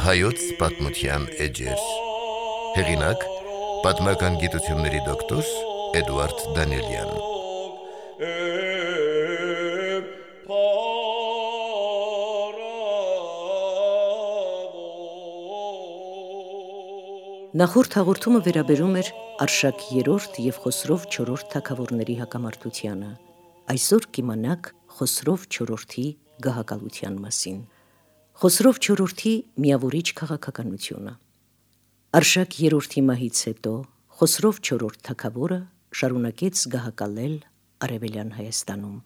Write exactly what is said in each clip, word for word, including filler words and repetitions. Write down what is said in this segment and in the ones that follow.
Հայոց պատմության էջեր։ Հեղինակ՝ պատմական գիտությունների դոկտոր Էդուարդ Դանիելյան։ Նախորդ հաղորդումը վերաբերում էր Արշակ երրորդ և Խոսրով չորրորդ թագավորների հակամարտությանը։ Այսօր կիմանաք Խոսրով չորրորդի գահակալության մասին։ Խոսրով չորրորդի միավորիչ քաղաքականությունը։ Արշակ երրորդի մահից հետո Խոսրով չորրորդ թագավորը շարունակեց գահակալել Արևելյան Հայաստանում։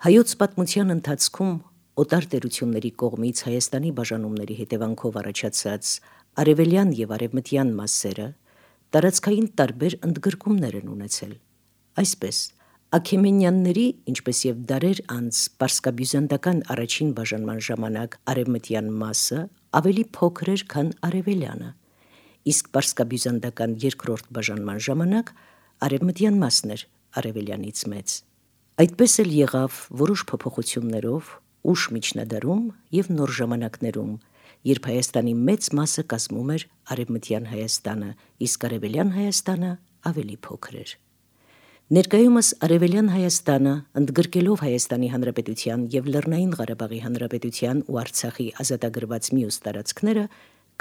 Հայոց պատմության ընթացքում օտար տերությունների կողմից Հայաստանի բաժանումների հետևանքով առաջացած արևելյան և արևմտյան մասերը տարածքային տարբեր ընդգրկումներ են ունեցել։ Այսպես, Աքեմենյանների, ինչպես և դարեր անց պարսկաբյուզանդական առաջին բաժանման ժամանակ արևմտյան մասը ավելի փոքր էր, քան արևելյանը, իսկ պարսկաբյուզանդական երկրորդ բաժանման ժամանակ արևմտյան մասն էր արևելյանից մեծ։ Այդպես էլ եղավ որոշ փոփոխություններով ուշ միջնադարում և նոր ժամանակներում, երբ Հայաստանի մեծ մասը կազմում էր արևմտյան Հայաստանը, իսկ արևելյան Հայաստանը ավելի փոքր էր։ Ներկայումս արևելյան Հայաստանը, ընդգրկելով Հայաստանի Հանրապետության և Լեռնային Ղարաբաղի Հանրապետության ու Արցախի ազատագրված մյուս տարածքները,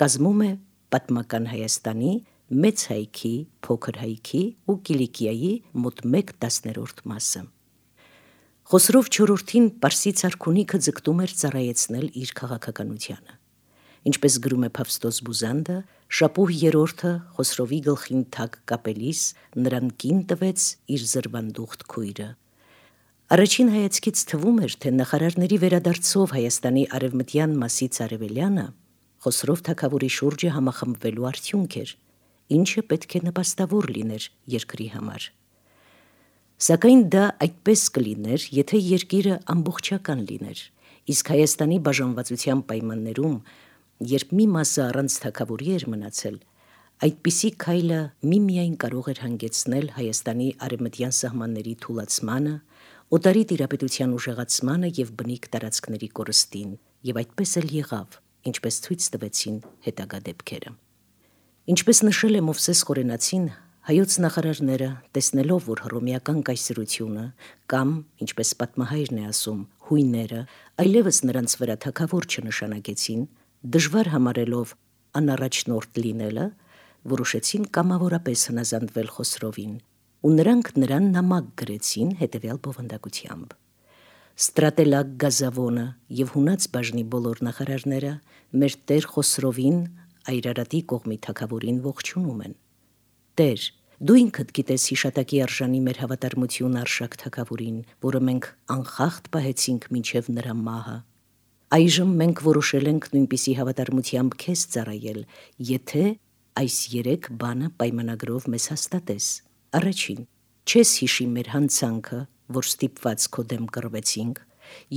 կազմում է պատմական Հայաստանի, Մեծ Հայքի, Փոքր Հայքի ու Կիլիկիայի մոտ մեկ տասներորդ մասը։ Խոսրով չորրորդին Պարսից արքունիքը ձգտում էր ծառայեցնել իր քաղաքականությանը։ Ինչպես գրում է Փավստոս Բուզանդը, Շապուհ երրորդը Խոսրովի գլխին թագ կապելիս նրան կին տվեց իր զրվանդուխտ քույրը։ Առաջին հայացքից թվում էր, թե նախարարների վերադարձով Հայաստանի արևմտյան մասից արևելյանը Խոսրով թագավորի շուրջը համախմբվելու արդյունք էր, ինչը պետք է նպաստավոր լիներ երկրի համար։ Սակայն դա այդպես կլիներ, եթե երկիրը ամբողջական լիներ, իսկ Հայաստանի բաժանվածության պայմաններում, երբ մի մասը առանց թագավորի էր մնացել, այդպիսի քայլը միմիայն կարող էր հանգեցնել Հայաստանի արևմտյան սահմանների թուլացմանը, օտարի տիրապետության ուժեղացմանը և բնիկ տարածքների կորստին, և այդպես էլ եղավ, ինչպես ցույց տվեցին հետագա դեպքերը։ Ինչպես նշել է Մովսես Խորենացին, հայոց նախարարները, տեսնելով, որ հռոմեական կայսրությունը կամ, ինչպես պատմահայրն է ասում, հույները այլևս նրանց վրա թագավոր չնշանակեցին, դժվար համարելով անառաջնորդ լինելը, որոշեցին կամավորապես հնազանդվել Խոսրովին, ու նրանք նրան նամակ գրեցին հետևյալ բովանդակությամբ. «Ստրատելակ Գազավոնը և հունած բաժնի բոլոր նախարարները մեր տեր Խոսրովին, Այրարատի կողմի թագավորին ողջունում են։ Տեր, դու ինքդ գիտես հիշատակի արժանի մեր հավատարմությունը Արշակ թագավորին, որը մենք անխախտ պահեցինք մինչև նրա մահը։ Այժմ մենք որոշել ենք նույնպիսի հավատարմությամբ քեզ ծառայել, եթե այս երեք բանը պայմանագրով մեզ հաստատես. Առաջին, չես հիշի մեր հանցանքը, որ ստիպված քո դեմ կռվեցինք.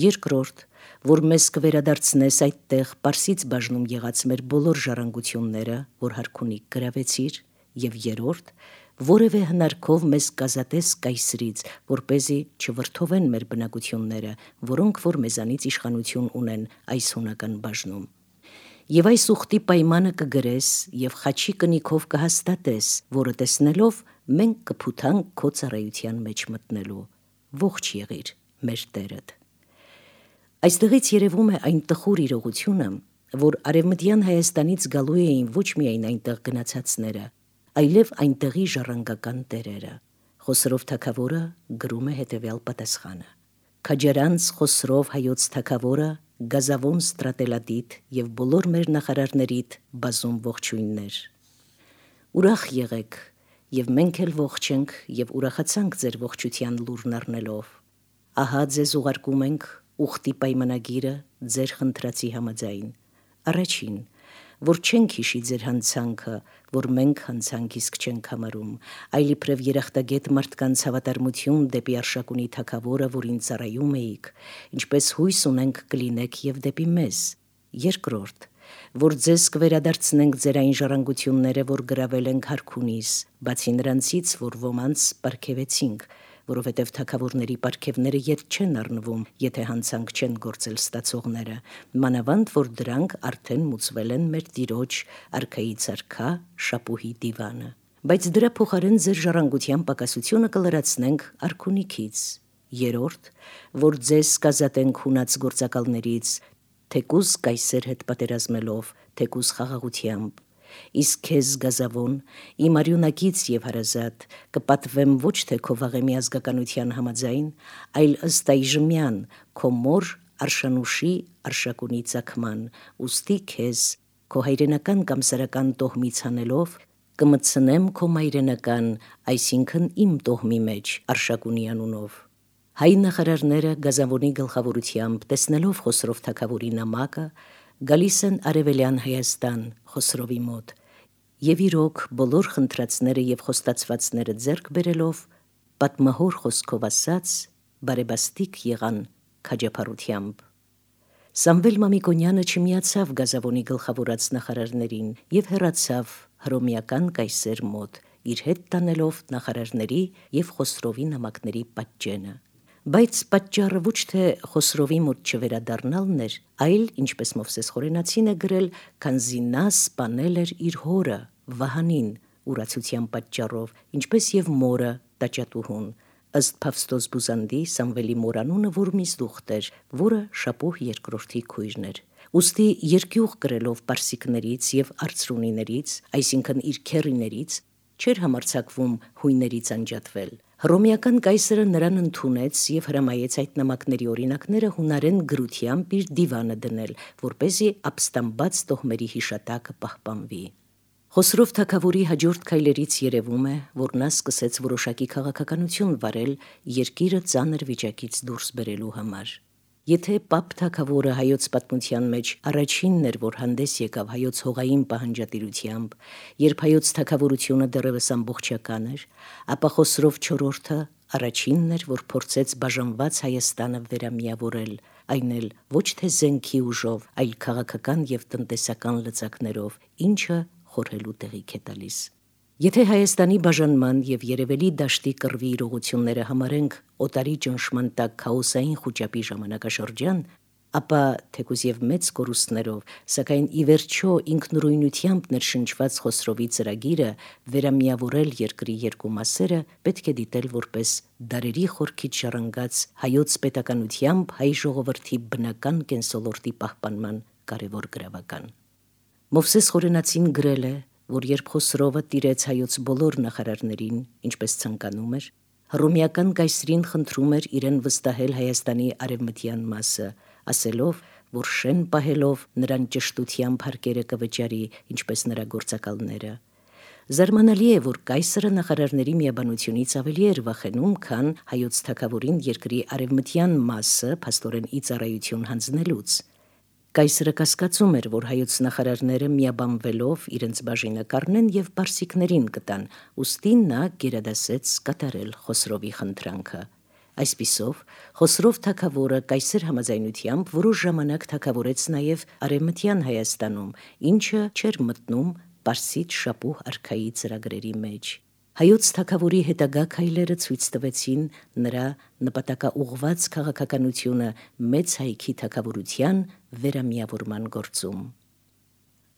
Երկրորդ, որ մեզ կվերադարձնես այդտեղ Պարսից բաժնում եղած մեր բոլոր ժառանգությունները, որ հարքունիք գրավեցիր, և երրորդ, որևէ հնարքով մեզ կազատես կայսրից, որպեսզի չվրդովեն մեր բնակությունները, որոնք որ մեզանից իշխանություն ունեն այս հունական բաժնում։ Եվ այս ուխտի պայմանը կգրես և խաչի կնիքով կհաստատես, որը տեսնելով մենք կփութանք քո ծառայության մեջ մտնելու։ Ողջ եղիր մեր տերդ»։ Այստեղից երևում է այն տխուր իրողությունը, որ արևմտյան Հայաստանից գալու էին ոչ միայն այնտեղ գնացածները, այլև այնտեղի ժառանգական տերերը։ Խոսրով թագավորը գրում է հետևյալ պատասխանը. «Քաջարանց Խոսրով հայոց թագավորը, Գազավոն Ստրատելադիդ և բոլոր մեր նախարարներիդ բազում ողջույններ։ Ուրախ եղեք, և մենք էլ ողջ ենք և ուրախացանք ձեր ողջության լուրն առնելով։ Ահա ձեզ ուղարկում ենք ուխտի պայմանագիրը ձեր խնդրածի համաձայն. Առաջին, որ չենք հիշի ձեր հանցանքը, որ մենք հանցանք իսկ չենք համարում, այլ իբրև երախտագետ մարդկանց հավատարմություն դեպի Արշակունի թագավորը, որին ծառայում էիք, ինչպես հույս ունենք կլինեք և դեպի մեզ։ Երկրորդ, որ ձեզ կվերադարձնենք ձեր այն ժառանգությունները, որ գրավել ենք հարքունիս, բացի նրանցից, որ ոմանց պարգևեցինք, որովհետև թագավորների պարգևները ետ չեն առնվում, եթե հանցանք չեն գործել ստացողները, մանավանդ որ դրանք արդեն մուծվել են մեր տիրոջ արքայից արքա շապուհի դիվանը։ Բայց դրա փոխարեն ձեր ժառանգության պակասությունը կլրացնենք արքունիքից։ Երորդ, որ ձեզ կազատենք հունած գործակալներից, թեկուզ կայսեր հետ պատերազմելով, թեկուզ խաղաղությամբ։ Իսկ քեզ գազավոն, իմ արյունակից եւ հարազատ, կպատվեմ ոչ թե քո վաղեմի ազգականության համաձայն, այլ ըստ այժմյան քո մոր Արշանուշի արշակունի ծագման, ուստի քեզ քո հայրենական կամ սարական տոհմից հանելով, կմտցնեմ քո մայրենական, այսինքն իմ տոհմի մեջ Արշակունի անունով։ Հայ նախարարները գազավոնի գլխավորությամբ, տեսնելով Խոսրով թագավորի նամակը, գալիս են Արևելյան Հայաստան Խոսրովի մոտ, եւ իրոք բոլոր խնդրածները եւ խոստացվածները ձեռք բերելով, պատմահոր խոսքով ասած, բարեբաստիկ եղան քաջափարությամբ։ Սամվել Մամիկոնյանը չմիացավ գազավոնի գլխավորած նախարարներին եւ հեռացավ հռոմեական կայսեր մոտ, իր հետ տանելով նախարարների եւ Խոսրովի նամակների պատճենը։ Բայց պատճառը ոչ թե Խոսրովի մոտ չվերադառնալն էր, այլ, ինչպես Մովսես Խորենացին է գրել, քանզի նա սպանել էր իր հորը Վահանին ուրացության պատճառով, ինչպես եւ մորը Տաճատուհուն, ըստ Փավստոս Բուզանդի Սամվելի մորանունը Որմիզդուխտ էր, որը Շապուհ երկրորդի քույրն էր։ Ուստի երկյուղ կրելով պարսիկներից եւ արծրունիներից, այսինքն իր քեռիներից, չէր համարձակվում հույներից անջատվել։ Հռոմեական կայսրը նրան ընդունեց եւ հրամայեց այդ նամակների օրինակները հունարեն գրությամբ իր դիվանը դնել, որպեսզի ապստամբած տոհմերի հիշատակը պահպանվի։ Խոսրով թագավորի հաջորդ քայլերից երևում է, որ նա սկսեց որոշակի քաղաքականություն վարել երկիրը ծանր վիճակից դուրս բերելու համար։ Եթե Պապ թագավորը հայոց պատմության մեջ առաջինն էր, որ հանդես եկավ հայոց հողային պահանջատիրությամբ, երբ հայոց թագավորությունը դեռևս ամբողջական էր, ապա Խոսրով չորրորդը առաջինն էր, որ փորձեց բաժանված Հայաստանը վերամիավորել, այն էլ ոչ թե զենքի ուժով, այլ քաղաքական եւ տնտեսական լծակներով, ինչը խորհելու տեղիք է տալիս։ Եթե Հայաստանի բաժանման եւ Երևելի դաշտի կռվի իրողությունները համարենք օտարի ճնշման տակ քաոսային խոճապի ժամանակաշրջան, ապա թեկուզ եւ մեծ կորուստներով, սակայն ի վերջո ինքնուրույնությամբ ներշնչված Խոսրովի ծրագիրը վերամիավորել երկրի երկու մասերը պետք է դիտել որպես դարերի խորքից ժառանգած հայոց պետականությամբ հայ ժողովրդի բնական կենսոլորտի պահպանման կարևոր գրավական։ Մովսես Խորենացին գրել է, որ երբ Խոսրովը տիրեց հայոց բոլոր նախարարներին, ինչպես ցանկանում էր, հռոմեական կայսրին խնդրում էր իրեն վստահել Հայաստանի արևմտյան մասը, ասելով, որ շեն պահելով նրան ճշտությամբ հարկերը կվճարի, ինչպես նրա գործակալները։ Զարմանալի է, որ կայսրը նախարարների միաբանությունից ավելի էր վախենում, քան հայոց թագավորին երկրի արևմտյան մասը փաստորեն ի ծառայություն հանձնելուց։ Կայսրը կասկածում էր, որ հայոց նախարարները միաբանվելով իրենց բաժինը կառնեն եւ պարսիկներին կտան, ուստի նա գերադասեց կատարել Խոսրովի խնդրանքը։ Այսպիսով, Խոսրով թագավորը կայսր համաձայնությամբ որոշ ժամանակ թագավորեց նաեւ արևմտյան Հայաստանում, ինչը չէր մտնում Պարսից Շապուհ արքայի ծրագրերի մեջ։ Հայոց թագավորի հետագա քայլերը ցույց տվեցին նրա նպատակաուղղված քաղաքականությունը մեծ հայքի թագավորության վերամիավորման գործում։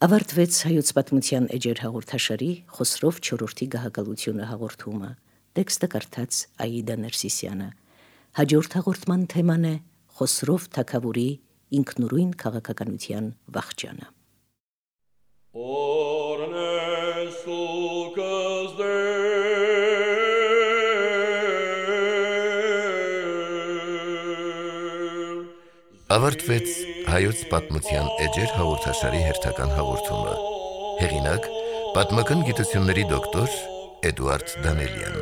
Ավարտվեց հայոց պատմության էջեր հաղորդաշարի Խոսրով չորրորդի գահակալությունը հաղորդումը։ Տեքստը կարդաց Աիդա Ներսիսյանը։ Հաջորդ հաղորդման թեման է Խոսրով թագավորի ինքնուրույն քաղաքականության վախճանը։ Ավարտվեց հայոց պատմության էջեր հաղորդաշարի հերթական հաղորդումը։ Հեղինակ՝ պատմական գիտությունների դոկտոր Էդուարդ Դանելյան։